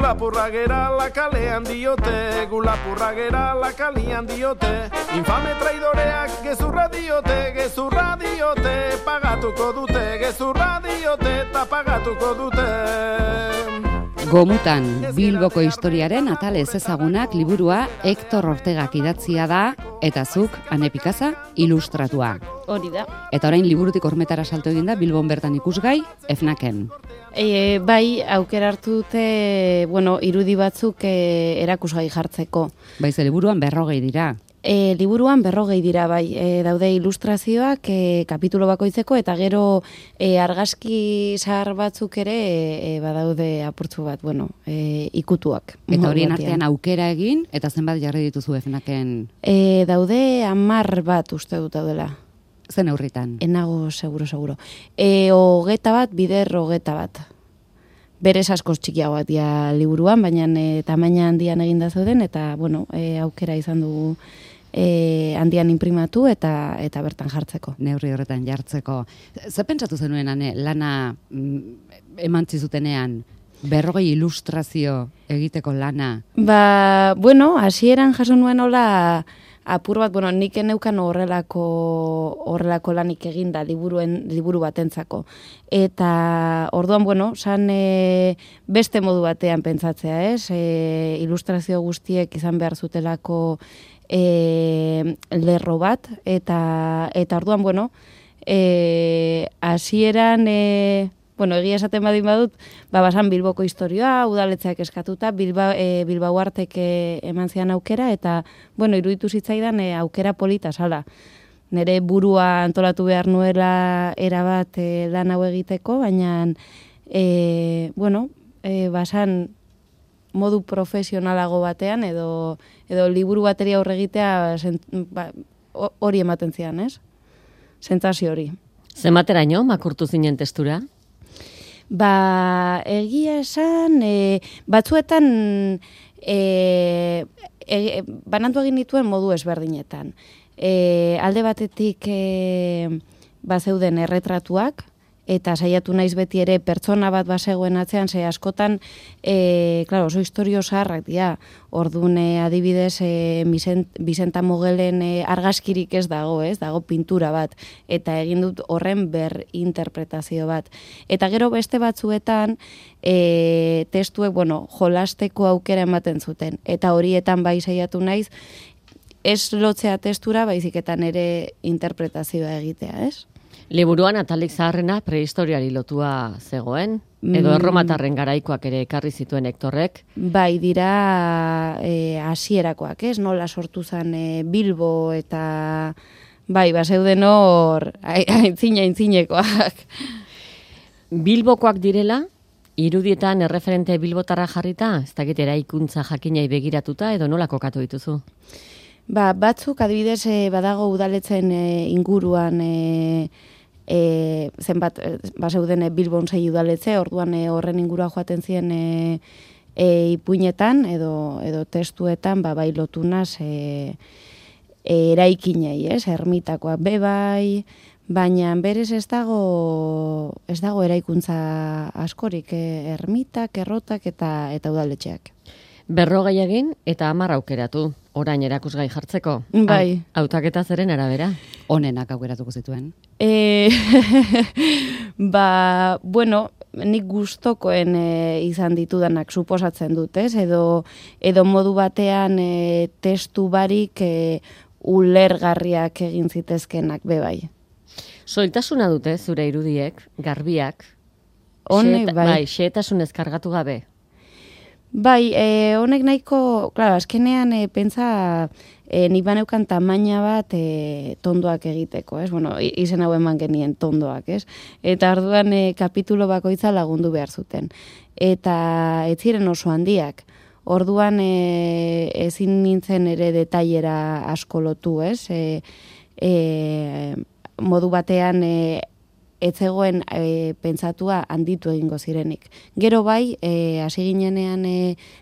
Gulapurra gerala kalean diote, gulapurra gerala kalean diote, infame traidoreak gezurra diote, pagatuko dute, gezurra diote, eta pagatuko dute. Gomutan, Bilboko historiaren atal ezezagunak liburua Hector Ortegak idatzia da, eta zuk, Ane Pikaza, ilustratua. Hori da. Eta orain liburutik hormetara salto egin da, Bilbon bertan ikusgai, FNAC-en. Bai, aukera hartu dute, irudi batzuk erakusgai jartzeko. Baize, liburuan 40 dira. Liburuan 40 dira, bai, daude ilustrazioak kapitulo bakoitzeko, eta gero argazki zahar batzuk ere badaude apurtzu bat, ikutuak. Eta horien artean aukera egin, eta zenbat jarri dituzu FNAC-en? Daude 10 bat uste dut daudela. Zen neurritan? Enago, seguro. 21 bat, bider 21 bat. Berez askoz txikiagoak dira liburuan, baina tamaina handian eginda zeuden, eta, aukera izan dugu handian inprimatu eta bertan jartzeko. Neurri horretan jartzeko. Ze pentsatu zenuen, Ane, lana emantzi zutenean, 40 ilustrazio egiteko lana? Hasieran jaso nuen hola apur bat, nik eneukan horrelako lanik eginda liburu batentzako. Eta orduan, san beste modu batean pentsatzea, ez? Ilustrazio guztiek izan behar zutelako lerro bat, eta orduan, hasieran, egia esaten badut, basan Bilboko historioa, udaletzeak eskatuta, Bilbao artek eman zian aukera, eta, iruditu zitzaidan aukera polita sala. Nere burua antolatu behar nuela erabat lan hau egiteko, baina, basan modu profesionalago batean, edo liburu bateri aurre egitea hori ematen zian, ez? Sentsazio hori. Zemateraino, makurtu zinen testura? Egia esan, batzuetan banandu egin dituen modu ezberdinetan. Alde batetik bazeuden erretratuak, eta saiatu naiz beti ere pertsona bat bazegoen atzean, ze askotan, oso historio zaharrak dira. Orduan, adibidez, Bizenta Mogelen argazkirik ez dago, dago pintura bat, eta egin dut horren berinterpretazio bat. Eta gero beste batzuetan, testuek, jolasteko aukera ematen zuten, eta horietan bai saiatu naiz, ez lotzea testura, baiziketan ere interpretazioa egitea, ez? Liburuan atalik zaharrena prehistoriari lotua zegoen, edo erromatarren garaikoak ere ekarri zituen Hektorrek. Bai, dira hasierakoak, ez? Nola sortu zen Bilbo, eta bazeuden hor aintzinekoak. Bilbokoak direla, irudietan erreferente bilbotarra jarrita, ez dakit eraikuntza jakinai begiratuta, edo nola kokatu dituzu? Batzuk, adibidez, badago udaletzen inguruan zenbat, zeuden Bilbon 6 udaletze, orduan horren ingurua joaten ziren ipuinetan, edo testuetan, bai lotunaz eraikinei, ermitakoak bebai, baina berez ez dago eraikuntza askorik, ermitak, errotak eta udaletxeak. 40 egin eta 10 aukeratu, orain erakusgai jartzeko. Bai. Hautaketa zeren arabera? Onenak aukeratuko zituen. Nik gustokoen izan ditudanak suposatzen dut, ez? Edo modu batean testu barik ulergarriak egin zitezkenak bebai. Soiltasuna dute zure irudiek, garbiak. Honek, bai. Xehetasunez kargatu gabe. Bai, honek nahiko, azkenean pentsa nik baneukan tamaina bat tondoak egiteko, ez? Izen hau eman genien tondoak, ez? Eta orduan kapitulo bakoitza lagundu behar zuten. Eta ez ziren oso handiak. Orduan ezin nintzen ere detailera asko lotu, ez? Modu batean ez zegoen pentsatua handitu egingo zirenik. Gero bai, hasi ginenean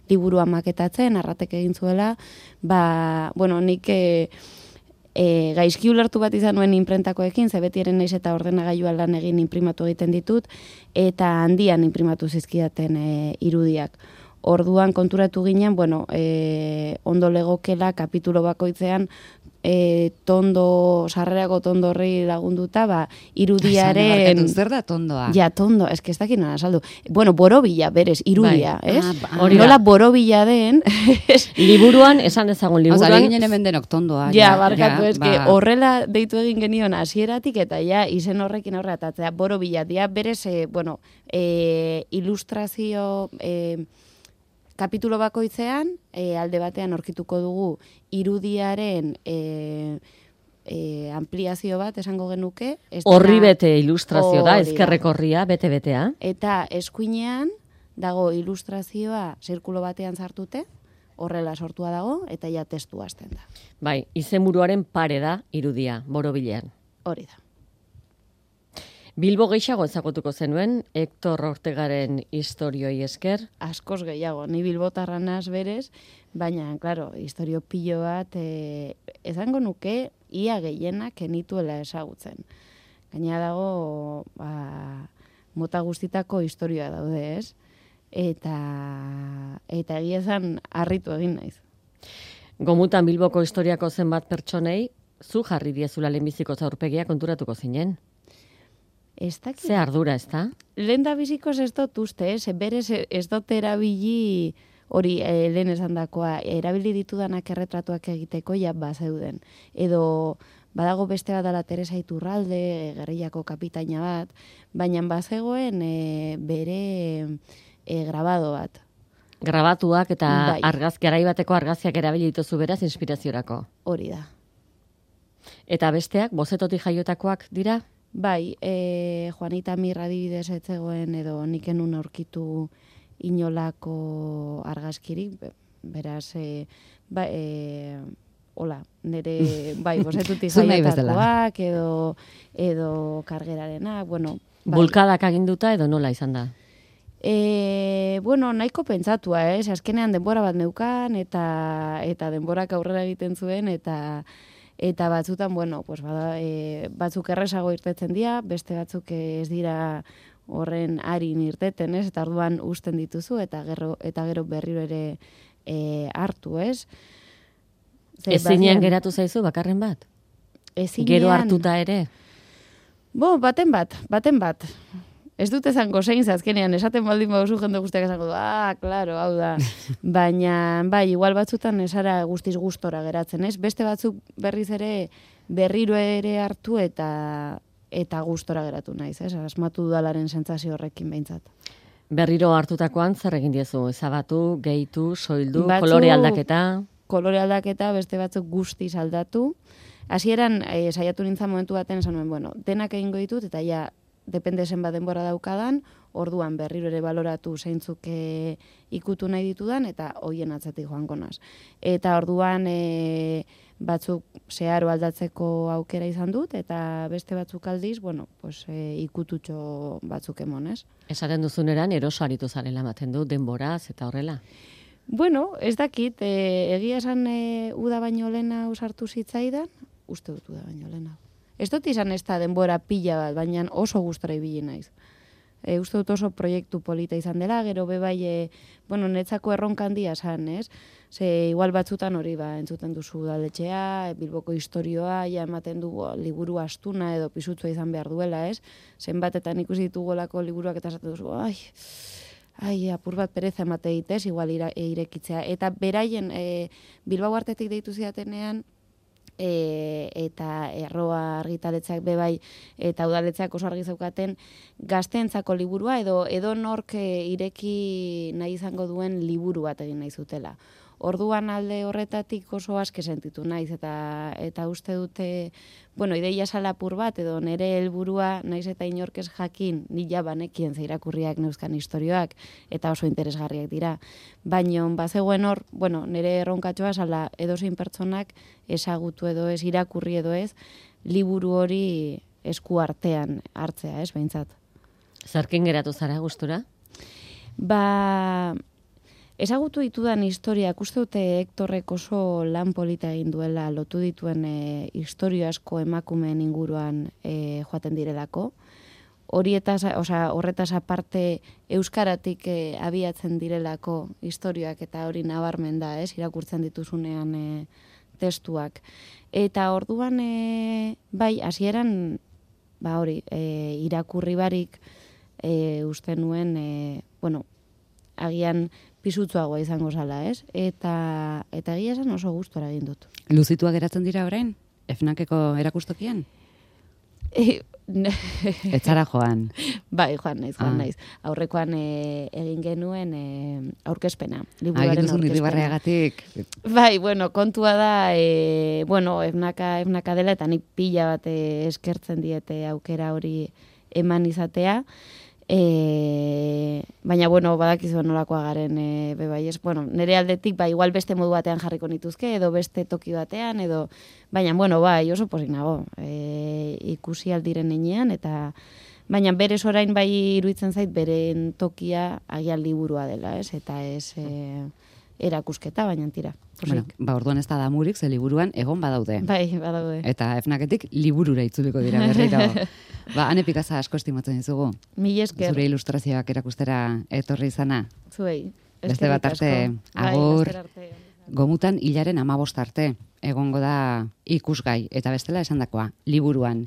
liburua maketatzen, Arratek egin zuela, nik gaizki ulertu bat izan nuen inprentakoekin, ze beti eren naiz eta ordenagailua lan egin inprimatu egiten ditut, eta handian inprimatu zizkidaten irudiak. Orduan konturatu ginen, bueno, ondo legokela kapitulo bakoitzean sarrerako tondo horri lagunduta, irudiaren... Zer da tondoa? Ja, tondo, ez ez dakit nola saldu. Bueno, borobila, berez, irudia, Bai. ez? Hori da. Nola borobila den... Liburuan, esan dezagun liburuan... Osa, ginen hemen denok tondoa. Ja, barkatu, horrela deitu egin genion hasieratik eta ja, izen horrekin horretatzea, borobila, dia, berez, ilustrazio... kapitulo bakoitzean, alde batean aurkituko dugu irudiaren ampliazio bat, esango genuke. Horri bete ilustrazio da, ezkerrekorria, bete-betea. Eta eskuinean dago ilustrazioa zirkulo batean sartute, horrela sortua dago, eta ja testu hasten da. Bai, izenburuaren pare da irudia, borobilean. Hori da. Bilbo gehiago ezagutuko zenuen, Hector Ortegaren historioi esker? Askoz gehiago, ni bilbotarra naz berez, baina, klaro, historio pilo bat, ezango nuke, ia gehienak enituela ezagutzen. Gaina dago, mota guztitako historioa daude, ez? Eta egia esan harritu egin naiz. Gomutan Bilboko historiako zenbat pertsonei, zu jarri diezula lehenbiziko aurpegia konturatuko zinen? Ze ardura, ez da? Lehen da bizikoz ez dut uste, berez ez dut erabili hori lehen esan dakoa, erabili ditudanak erretratuak egiteko ja bazeuden. Edo badago beste bat dela Teresa Iturralde, gerrillako kapitaina bat, baina bazegoen bere grabado bat. Grabatuak eta Bai. garai bateko argazkiak erabili dituzu beraz inspiraziorako. Hori da. Eta besteak, bozetotik jaiotakoak dira? Bai, Juanita Mir adibidez etzegoen edo nik enun aurkitu inolako argazkirik, beraz, hola, nire, bai, bozetutik jaiotakoak edo kargerarena, bueno. Bai. Bulkadak aginduta edo nola izan da? Bueno, nahiko pentsatua, azkenean denbora bat neukan eta denborak aurrera egiten zuen eta batzutan, bueno, pues batzuk erresago irtetzen dira, beste batzuk ez dira horren harin irteten, ez? Eta orduan uzten dituzu eta gero berriro ere hartu, ez? Ezinean geratu zaizu bakarren bat? Ezinean... Gero hartuta ere? Baten bat. Ez dut esango zein azkenean, esaten baldin baduzu jende guztiak esango du, klaro, hau da. Baina, bai, igual batzutan esara guztiz gustora geratzen, ez? Beste batzuk berriz ere berriro ere hartu eta gustora geratu naiz, ez? Asmatu dudalaren sentsazio horrekin behintzat. Berriro hartutakoan zer egin diezu? Ezabatu, gehitu, soildu, kolore aldaketa? Kolore aldaketa, beste batzuk guztiz aldatu. Hasieran saiatu nintzen momentu baten esan nuen, bueno, denak egingo ditut eta ja depende zenbat denbora daukadan, orduan berriro ere baloratu zeintzuk ikutu nahi ditudan, eta hoien atzetik joango naz. Eta orduan batzuk zeharo aldatzeko aukera izan dut, eta beste batzuk aldiz, bueno, pues, ikututxo batzuk emonez. Esaten duzuneran, eroso aritu zarela ematen du, denboraz eta horrela? Bueno, ez dakit, egia esan uda baino lehena usartu zitzaidan, uste dut uda baino lehena. Ez dut izan ez da denbora pila bat, baina oso gustora ibili naiz. Uste dut oso proiektu polita izan dela, gero bebai, bueno, netzako erronka handia esan, ez? Ze igual batzutan hori entzuten duzu udaletxea, Bilboko historioa, ja ematen du liburu astuna edo pisutzua izan behar duela, ez? Zenbatetan ikusi ditugolako liburuak eta esaten duzu, apur bat pereza emate ditez, igual irekitzea. Eta beraien Bilbao artetik deitu zidatenean, eta erroa argitaletzeak bebai eta udaletzeak oso argi zeukaten gazteentzako liburua edo nork ireki nahi izango duen liburu bat egin nahi zutela. Orduan alde horretatik oso aske sentitu naiz eta uste dute, bueno, ideia salapur bat edo nire helburua naiz eta inork ez jakin, ni ja banekien ze irakurriak neuzkan istorioak eta oso interesgarriak dira. Baina bazegoen hor, bueno, nire erronkatxoa sala edozein pertsonak ezagutu edo ez, irakurri edo ez, liburu hori esku artean hartzea, ez, behintzat. Zerkin geratu zara gustura? Ezagutu ditudan historiak, uste dute Hektorrek oso lan polita egin duela lotu dituen historio asko emakumeen inguruan joaten direlako. horretaz aparte euskaratik abiatzen direlako historioak eta hori nabarmen da, irakurtzen dituzunean testuak. Eta orduan, bai, hasieran irakurri barik uste nuen, agian pisutsuagoa izango zala, Eta egia esan oso gustora egin dut. Luzitua geratzen dira orain? Efnakeko erakustokian? Etzara joan. Bai, joan naiz. Aurrekoan egin genuen aurkezpena. Liburuaren aurkezpena. Irribarreagatik. Bai, kontua da, efnaka dela, eta nik pila bat eskertzen diete aukera hori eman izatea. Baina, badakizu nolakoa garen, nire aldetik, igual beste modu batean jarriko nituzke, edo beste toki batean, baina, oso pozik nago, ikusi aldiren enean, eta, baina berez orain bai iruditzen zait, beren tokia agian liburua dela, eta ez erakusketa, baina tira. Orduan ez da damurik, ze liburuan egon badaude. Bai, badaude. Eta efnaketik liburura itzuliko dira berriro. Ane Pikaza asko estimatzen dizugu. Mil esker. Zure ilustrazioak erakustera etorri izana. Zuei. Beste bat arte, agur, gomutan hilaren 15 arte, egongo da ikusgai, eta bestela esandakoa, liburuan.